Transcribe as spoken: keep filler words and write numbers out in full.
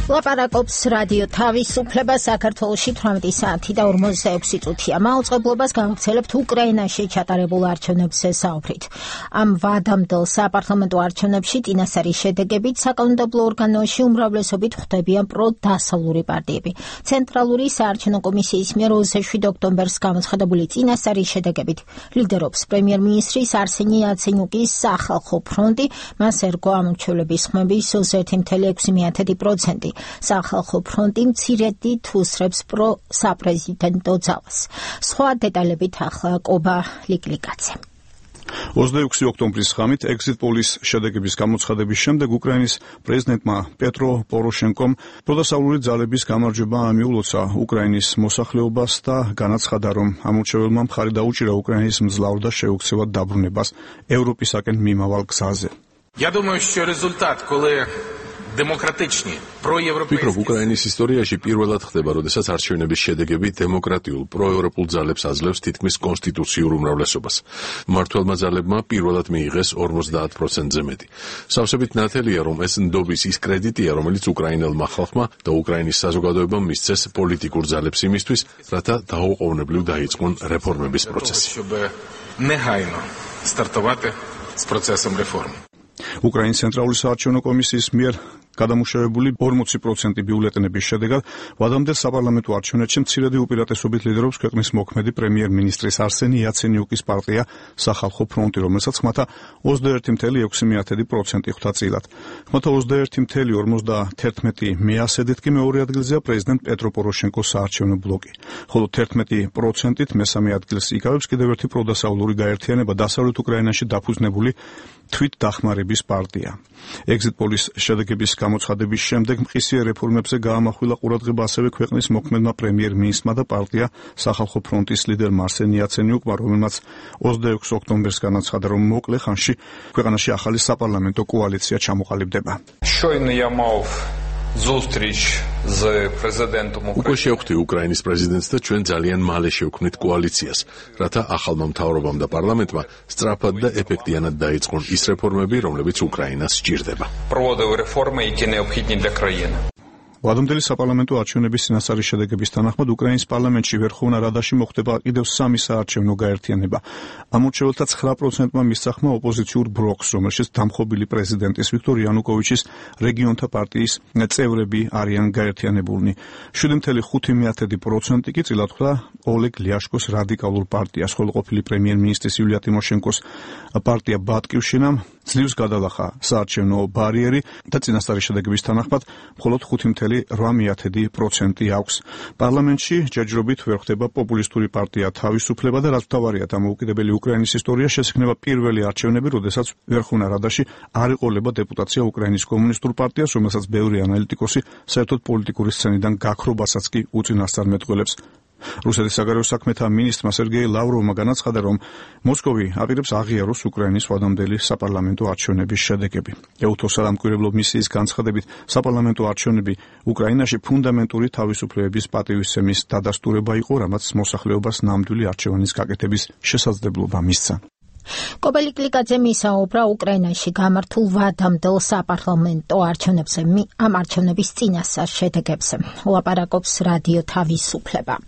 ლაპარაკობს რადიო თავისუფლება საქართველოში თვრამეტი საათი და ორმოცდაექვსი წუთია. მაუწყებლობას გავაგრძელებთ უკრაინაში ჩატარებულ არჩევნებზე საუბრით. ამ ვადამდელ საპარლამენტო არჩევნებში წინასწარი შედეგებით საკანონმდებლო ორგანოში უმრავლესობით ხვდებიან პროდასავლური პარტიები. ცენტრალური საარჩევნო კომისიის მიერ ოცდაშვიდ ოქტომბერს გამოცხადებული წინასწარი შედეგებით ლიდერობს პრემიერ-მინისტრის არსენი იაცენიუკის სახალხო ფრონტი, მას ერგო ამორჩევლების ხმების ოცდაერთი целых ექვსი დесятых процента. სახალხო ფრონტი მცირედით უსწრებს პრო-საპრეზიდენტო ძალას. სხვა დეტალებით ახლა კობა ლიკლიკაძე. ოცდაექვსი ოქტომბრის ღამით exit polls შედეგების გამოცხადების შემდეგ უკრაინის პრეზიდენტმა პეტრო პოროშენკომ პროდასავლური ძალების გამარჯვება მიულოცა უკრაინის მოსახლეობას და განაცხადა, რომ ამორჩეველმა მხარი დაუჭირა უკრაინის მძლავრ და შეუქცევად დაბრუნებას ევროპისაკენ მიმავალ გზაზე. Я думаю, що результат, коли демократичні, проєвропейські... ვფიქრობ, უკრაინის ისტორიაში პირველად ხდება, როდესაც არჩევნების შედეგები დემოკრატიულ, პროევროპულ ძალებს აძლევს თითქმის კონსტიტუციურ უმრავლესობას. მმართველმა ძალებმა პირველად მიიღეს ორმოცდაათ პროცენტზე მეტი. სავსებით ნათელია, რომ ეს ნდობის ის კრედიტია, რომელიც უკრაინელმა ხალხმა და უკრაინის საზოგადოებამ მისცეს პოლიტიკურ ძალებს იმისთვის, რათა დაუყოვნებლივ დაიწყონ რეფორმების პროცესი. щоб негайно стартувати з процесом реформ. უკრაინის ცენტრალური საარჩევნო კომისიის მიერ გადამუშავებული ორმოცი პროცენტი ბიულეტენების შედეგად ვადამდელ საპარლამენტო არჩევნებში მცირედი უპირატესობით ლიდერობს ქვეყნის მოქმედი პრემიერ-მინისტრის არსენი იაცენიუკის პარტია სახალხო ფრონტი, რომელსაც ხმათა ოცდაერთი целых ექვსი десятых процента ხვდა წილად. ხმათა ოცდაერთი целых ორმოცდაათერთმეტი მეასედით კი მეორე ადგილზეა პრეზიდენტ პეტრო პოროშენკოს საარჩევნო ბლოკი, ხოლო თერთმეტი პროცენტით მესამე ადგილს იკავებს კიდევ ერთი პროდასავლური გაერთიანება დასავლეთ უკრაინაში დაფუძნებული თვით დახმარების პარტია. exit polls შედეგების გამოცხადების შემდეგ მყისიერ რეფორმებზე გაამახვილა ყურადღება ასევე ქვეყნის მოქმედმა პრემიერ-მინისტრმა და პარტია სახალხო ფრონტის ლიდერმა არსენ იაცენიუკმა, რომელმაც ოცდაექვსი ოქტომბერს განაცხადა, რომ მოკლე ხანში ქვეყანაში ახალი საპარლამენტო კოალიცია ჩამოყალიბდება. Щойно я мав ზუსტრიჩ з პრეზიდენტом უკვე შევხვდი უკრაინის პრეზიდენტს და ჩვენ ძალიან მალე შევქმნით კოალიციას, რათა ახალმა მთავრობამ და პარლამენტმა სწრაფად და ეფექტიანად დაიწყონ ის რეფორმები, რომლებიც უკრაინას სჭირდება. проводив реформи, які необхідні для країни. ვადამდელი საპარლამენტო არჩევნების წინასწარი შედეგების თანახმად უკრაინის პარლამენტში ვერხოვნა რადაში მოხდება კიდევ სამი საარჩევნო გაერთიანება. ამორჩეველთა ცხრა პროცენტმა მისცახმა ოპოზიციურ ბლოკს, რომელშიც დამხობილი პრეზიდენტის ვიქტორ იანუკოვიჩის რეგიონთა პარტიის წევრები არიან გაერთიანებულნი. შვიდი целых ხუთი десятых процента კი წილად ხვდა ოლეგ ლიაშკოს რადიკალურ პარტიას, ხოლო ყოფილი პრემიერ-მინისტრის იულია ტიმოშენკოს პარტია ბატკივშინამ ძლივს გადალახა საარჩევნო ბარიერი და წინასწარი შედეგების თანახმად მხოლოდ ხუთი целых ორმოცდაოთხ десятых процента აქვს. პარლამენტში ჯერჯერობით ვერ ხდება პოპულისტური პარტია თავისუფლება და რაც მთავარია, დამოუკიდებელი უკრაინის ისტორიაში ეს იქნება პირველი არჩევნები, როდესაც ვერხოვნა რადაში არ ეყოლება დეპუტაცია უკრაინის კომუნისტურ პარტიას, რომელსაც ბევრი ანალიტიკოსი საერთოდ პოლიტიკური სცენიდან გაქრობასაც კი უწინასწარმეტყველებს. რუსეთის საგარეო საქმეთა მინისტრმა სერგეი ლავროვმა განაცხადა, რომ მოსკოვი აპირებს აღიაროს უკრაინის ვადამდელი საპარლამენტო არჩევნების შედეგები. ეუთოს სამკვირვებლო მისიის განცხადებით, საპარლამენტო არჩევნები უკრაინაში ფუნდამენტური თავისუფლებების პატივისცემის დადასტურება იყო, რამაც მოსახლეობას ნამდვილი არჩევანის გაკეთების შესაძლებლობა მისცა. კობა ლიკლიკაძე მისაუბრა უკრაინაში გამართულ ვადამდელ საპარლამენტო არჩევნებზე, ამ არჩევნების წინასწარ შედეგებზე. ლაპარაკობს რადიო თავისუფლება.